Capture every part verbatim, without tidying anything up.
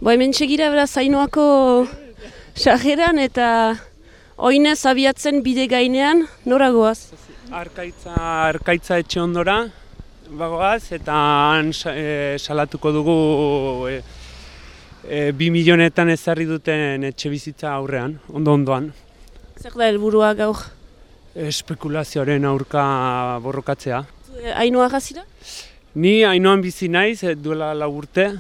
Bo hemen txegira beraz Ainoako sarreran eta oinez abiatzen bide gainean, nora goaz? Arkaitza, arkaitza etxe ondora bagoaz eta han e, salatuko dugu e, e, bi milionetan ezarri duten etxe bizitza aurrean, ondo-ondoan. Zer da helburua gaur? Espekulazioaren aurka borrokatzea. Ainoa gazira? Ni Ainoan bizi naiz, duela lau urte.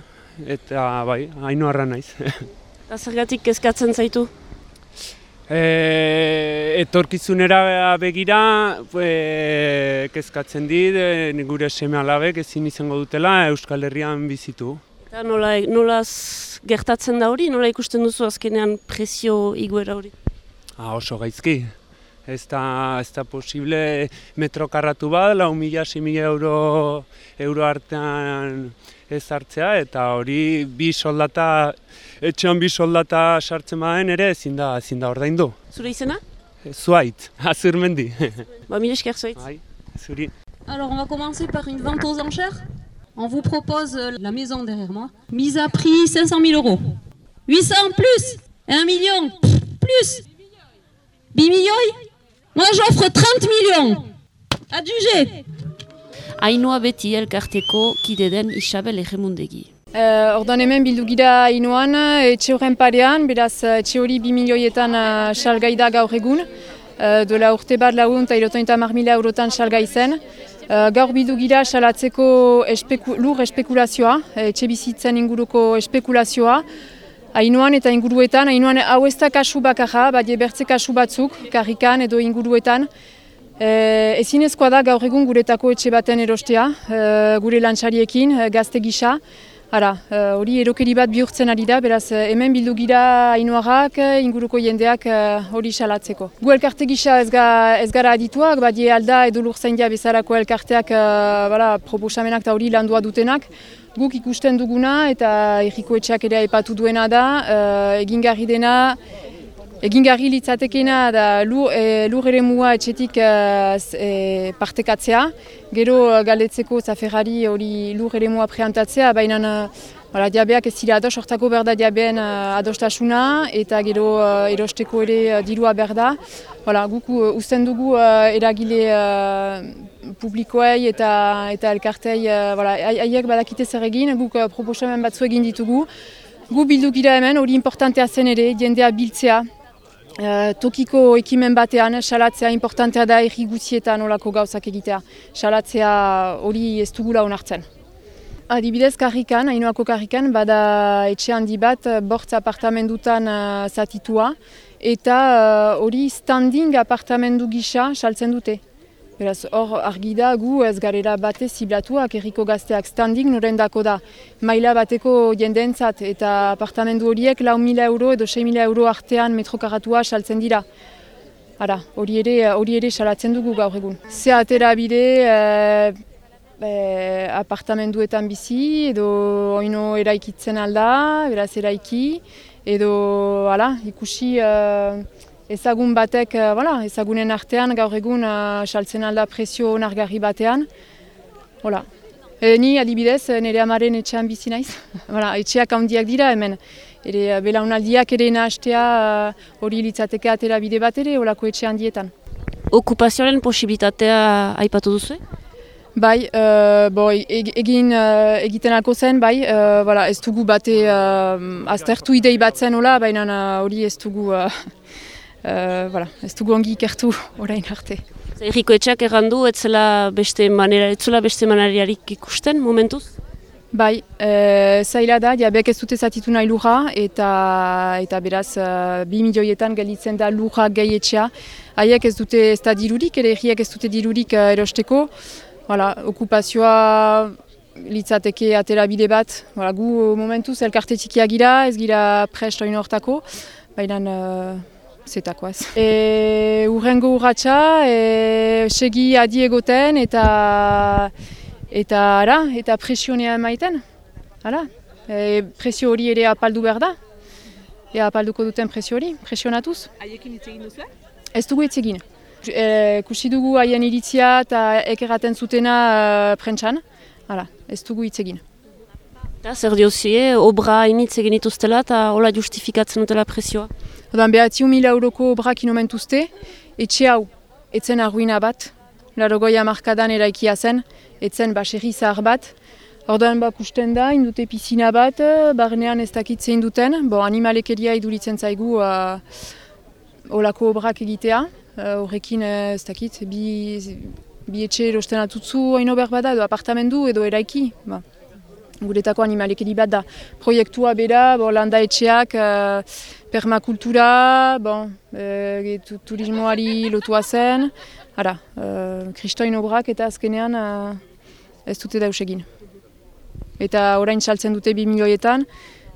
Eta bai, Ainoarra naiz. Eta zergatik kezkatzen zaitu? E, etorkizunera begira e, kezkatzen dit, e, gure seme alabek ezin izango dutela Euskal Herrian bizitu. Eta nola, nola gertatzen da hori? Nola ikusten duzu azkenean prezio iguera hori? Ah, oso gaizki. Ez da, ez da posible metro karratu bat, lau mila, sei mila euro, euro artean ez hartzea, eta hori bi soldata, etxean bi soldata sartzen baden ere ezin da, ezin da ordaindu. Zure izena? Zuait, Azurmendi. Ba, mila esker zuait. Bai, zuri. Alors on va commencer par une vente aux enchères. On vous propose la maison derrière moi. Mise à prix cinq cent mille euros. huit cents plus, un million plus. huit millions. Moi j'offre trente millions. Adjugé. Ainoa beti elkarteko kide den Isabel Egemundegi. Uh, Ordan hemen bildu gira Ainoan, etxe horren parean, beraz etxe hori bi milioietan uh, salgai da gaur egun. Uh, dola urte bat lagun eta irotointa hamar mila eurotan salgai zen. Uh, gaur bildu gira salatzeko espeku, lur espekulazioa, etxe bizitzen inguruko espekulazioa. Ainoan eta inguruetan, Ainoan hau ez da kasu bakarra, badie bertze kasu batzuk, karrikan edo inguruetan. E, ezinezkoa da gaur egun guretako etxe baten erostea, e, gure lantxariekin, gazte gisa. Hara, hori erokeri bat bihurtzen ari da, beraz hemen bildu gira Ainoarrak, inguruko jendeak hori salatzeko. Gu elkarte gisa ez, ga, ez gara adituak, badie alda edo lurzaindia bezalako elkarteak bala, proposamenak eta hori landua dutenak. Guk ikusten duguna eta herriko etxeak ere aipatu duena da, egingarri dena, egingarri litzatekena da lur, e, lur ere mua etxetik e, e, partekatzea, gero galdetzeko zaferrari hori lur ere mua preantatzea, baina Hala, diabeak ez dira ados, hortako berda diabeen uh, adostasuna eta gero uh, erosteko ere uh, dirua berda. Hala, guk uh, usten dugu uh, eragile uh, publikoei eta, eta elkartei haiek uh, badakite zer egin, guk uh, proposamen batzu egin ditugu. Gu bildu gira hemen, hori importantea zen ere, jendea biltzea. Uh, tokiko ekimen batean, salatzea importantea da herri guztietan olako gauzak egitea. Salatzea hori ez dugula onartzen. Adibidez, karrikan, Ainoako karrikan, bada etxe handi bat, bortz apartamendutan uh, zatitua, eta hori uh, standing apartamendu gisa saltzen dute. Beraz, hor argi da gu ez garela bate ziblatuak herriko gazteak standing norendako da. Maila bateko jendeentzat eta apartamendu horiek lau mila euro edo sei mila euro artean metrokaratua saltzen dira. Hara, hori ere, hori ere salatzen dugu gaur egun. Ze atera bide, uh, E, apartamenduetan bizi, edo oino eraikitzen alda, beraz eraiki, edo hala, ikusi uh, ezagun batek, uh, voilà, ezagunen artean gaur egun uh, saltzen alda prezio onargarri batean. Hola. E, ni adibidez, nire amaren etxean bizi naiz. Voilà, etxeak handiak dira hemen. Ere, belaunaldiak ere nahastea hori uh, litzateke atera bide bat ere, holako etxe handietan. Okupazioaren posibilitatea aipatu duzu? Bai, uh, bo, egin uh, egiten alko zen, bai, uh, voilà, ez dugu bate uh, aztertu idei bat zen hola, baina hori uh, ez dugu uh, uh, voilà, ez dugu ongi ikertu orain arte. Herriko etxeak errandu, ez zela beste manera, ez zela beste maneriarik ikusten momentuz? Bai, uh, zaila da, diabek ez dute zatitu nahi lurra, eta, eta beraz uh, bi milioietan gelditzen da lurra gehi etxea. Haiek ez dute ez da dirurik, ere herriak ez dute dirurik uh, erosteko. Hala, okupazioa litzateke atera bide bat. Hala, gu momentuz elkarte txikiak gira, ez gira prest oin hortako, baina uh, zetakoaz. E, urrengo urratxa, e, segi adi egoten eta eta, ara, eta presionea emaiten. Hala, e, presio hori ere apaldu behar da. Ea apalduko duten presio hori, presionatuz. Haiekin hitz egin duzu? Ez dugu hitz egin. E, kusi dugu haien iritzia eta ekerraten zutena uh, prentsan. Hala, ez dugu hitz egin. Eta zer diozie, obra hainitz egin ituztela eta hola justifikatzen dutela presioa? Ordan behatziun mila euroko obrak inomentuzte, etxe hau, etzen arruina bat, larogoi hamarkadan eraikia zen, etzen baserri zahar bat. Ordan bakusten da, indute pizina bat, barnean ez dakit zein duten, bo animalekeria iduritzen zaigu uh, olako obrak egitea, horrekin uh, ez dakit, bi, bi etxe erosten atutzu haino berbada edo apartamendu edo eraiki. Ba. Guretako animalekeri bat da. Proiektua bera, bo, landa etxeak, uh, permakultura, bon, e, turismoari lotua zen, ara, uh, kristoin obrak eta azkenean uh, ez dute daus egin. Eta orain saltzen dute bi milioietan,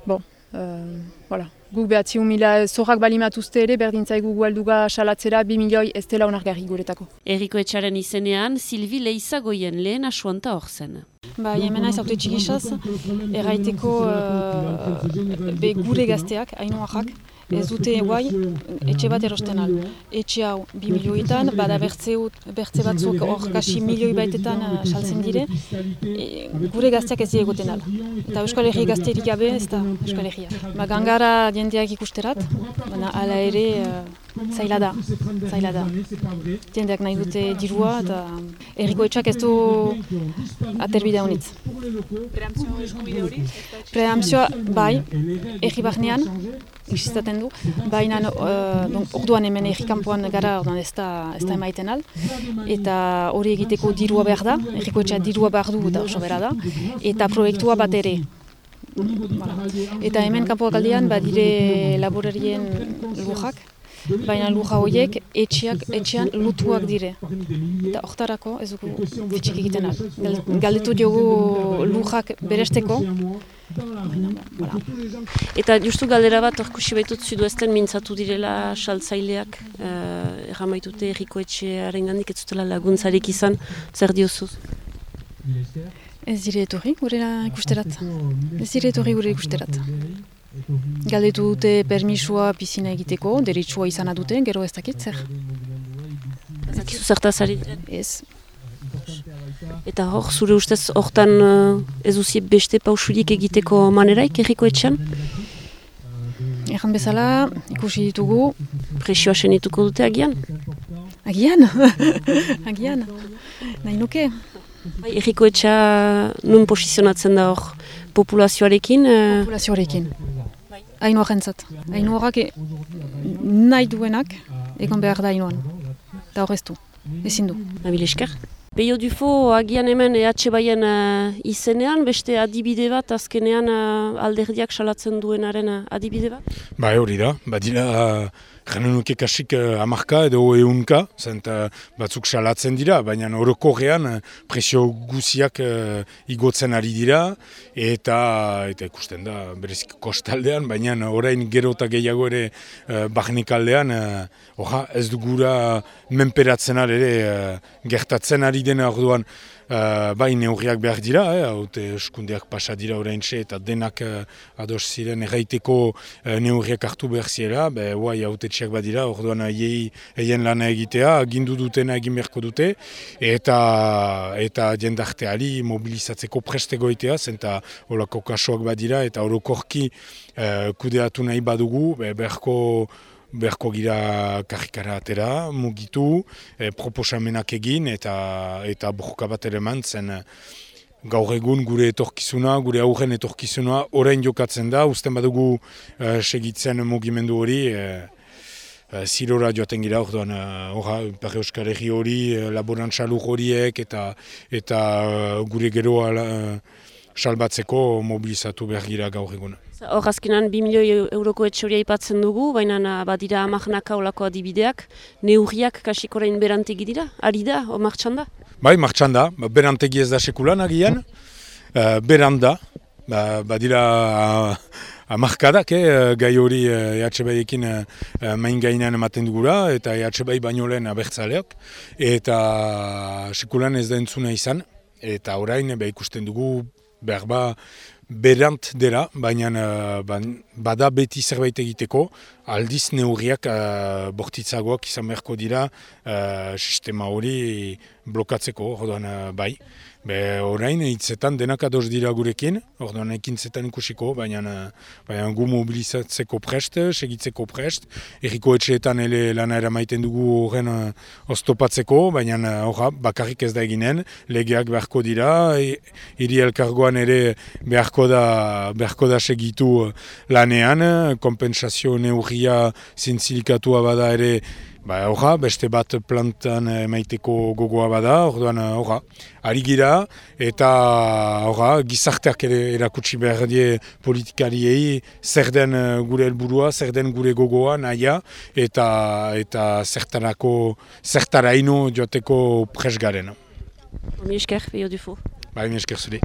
bon, uh, voilà. Guk behatziun mila zorrak balimatuzte ere, berdintzaigu gualduga salatzera bi milioi ez dela onargarri guretako. Erriko etxaren izenean, Silvi Leizagoien lehen asuanta hor zen. Ba, jemena ez haute txikisaz, erraiteko uh, be gure gazteak, hainoak, ez dute guai etxe bat erosten al. Etxe hau bi milioetan, bada bertze, bertze batzuk hor kasi milioi baitetan uh, saltzen dire, e, gure gazteak ez diegoten al. Eta Euskal Herri gazterik gabe ez da Euskal Herria. Ba, gangara jendeak ikusterat, baina ala ere uh, zaila da, zaila da. Jendeak nahi dute dirua eta erriko etxak ez du aterbidea honitz. Preamzio eskubide hori? Preamzioa, bai, erri barnean, existaten du, baina uh, orduan hemen erri kanpoan gara, orduan ez da, ez da emaiten al, eta hori egiteko dirua behar da, erriko etxea dirua behar du eta oso bera da, eta proiektua bat ere. Voilà. Eta hemen kanpoak aldean badire laborarien lujak, baina luja horiek etxeak, etxean lutuak dire. Eta hortarako ez dugu fitxik egiten al. Galdetu diogu lujak beresteko. Voilà. Eta justu galdera bat orkusi baitut zudu ezten mintzatu direla saltzaileak, uh, erramaitute erriko etxearen gandik ez zutela laguntzarik izan, zer diozuz? Ez dire etorri gure ikusterat. Ez dire etorri gure ikusterat. Galdetu dute permisua pizina egiteko, deritsua izana dute, gero ez dakit zer. Ez dakizu zertaz ari diren? Ez. Eta hor, zure ustez, hortan uh, ez uzie beste pausurik egiteko maneraik erriko etxean? Erran bezala, ikusi ditugu. Presioa senituko dute agian? Agian? Agian? Nahi nuke? Bai, erriko etxea nun posizionatzen da hor populazioarekin? Uh... Populazioarekin. Hainoak entzat. Hainoak nahi duenak egon behar da hainoan. Eta hor ez du. Ezin du. Nabil esker. Peio Dufo agian hemen E H baien uh, izenean, beste adibide bat, azkenean uh, alderdiak salatzen duenaren uh, adibide bat? Ba, hori da. Badira, janen nuke kasik uh, amarka edo eunka, zent uh, batzuk salatzen dira, baina orokorrean uh, presio guziak uh, igotzen ari dira, eta eta ikusten da, berezik kostaldean, baina orain gero eta gehiago ere uh, barnekaldean, uh, oha, ez dugura menperatzen ere uh, gertatzen ari dena orduan, uh, bai neurriak behar dira, eh, haute eskundeak pasa dira oraintxe eta denak uh, ados ziren erraiteko uh, neurriak hartu behar ziela, be, guai haute txiak badira, orduan haiei eien lana egitea, agindu dutena egin beharko dute, eta eta jendarteari mobilizatzeko prestegoitea, zenta holako kasuak badira, eta orokorki uh, kudeatu nahi badugu, be, beharko beharko gira karrikara atera, mugitu, e, proposamenak egin eta eta borroka bat ere mantzen. Gaur egun gure etorkizuna, gure aurren etorkizuna orain jokatzen da, usten badugu e, segitzen mugimendu hori, e, e, zirora joaten gira, orduan, orra, Ipar Euskal Herri hori, e, laborantza lur horiek eta, eta gure geroa e, salbatzeko mobilizatu behar gira gaur egun. Hor azkenan bi milioi euroko etxoria ipatzen dugu, baina badira amarnaka olako adibideak, neurriak kasik orain berantegi dira, ari da, o martxan da? Bai, martxan da, berantegi ez da sekulan agian, uh, beranda, ba, badira uh, amarkadak, eh, gai hori E H Baiekin uh, main gainean ematen dugura, eta E H Bai baino lehen abertzaleak, eta sekulan ez da entzuna izan, eta orain be, ikusten dugu behar ba, berant dela, baina uh, bada beti zerbait egiteko, aldiz neurriak uh, bortitzagoak izan beharko dira uh, sistema hori blokatzeko, orduan uh, bai. Be, orain hitzetan denak ados dira gurekin, orduan ekintzetan ikusiko, baina, baina gu mobilizatzeko prest, segitzeko prest, erriko etxeetan ele lana eramaiten dugu horren uh, oztopatzeko, baina horra bakarrik ez da eginen, legeak beharko dira, hiri elkargoan ere beharko da, beharko da segitu lanean, kompensazio neurria zintzilikatua bada ere, ba, horra, beste bat plantan emaiteko gogoa bada, orduan horra, ari gira, eta horra, gizarteak ere erakutsi behar die politikariei zer den gure helburua, zer den gure gogoa, nahia, eta, eta zertarako, zertaraino joateko pres garen. Mi esker, Peio Dufo. Ba, mi esker zure.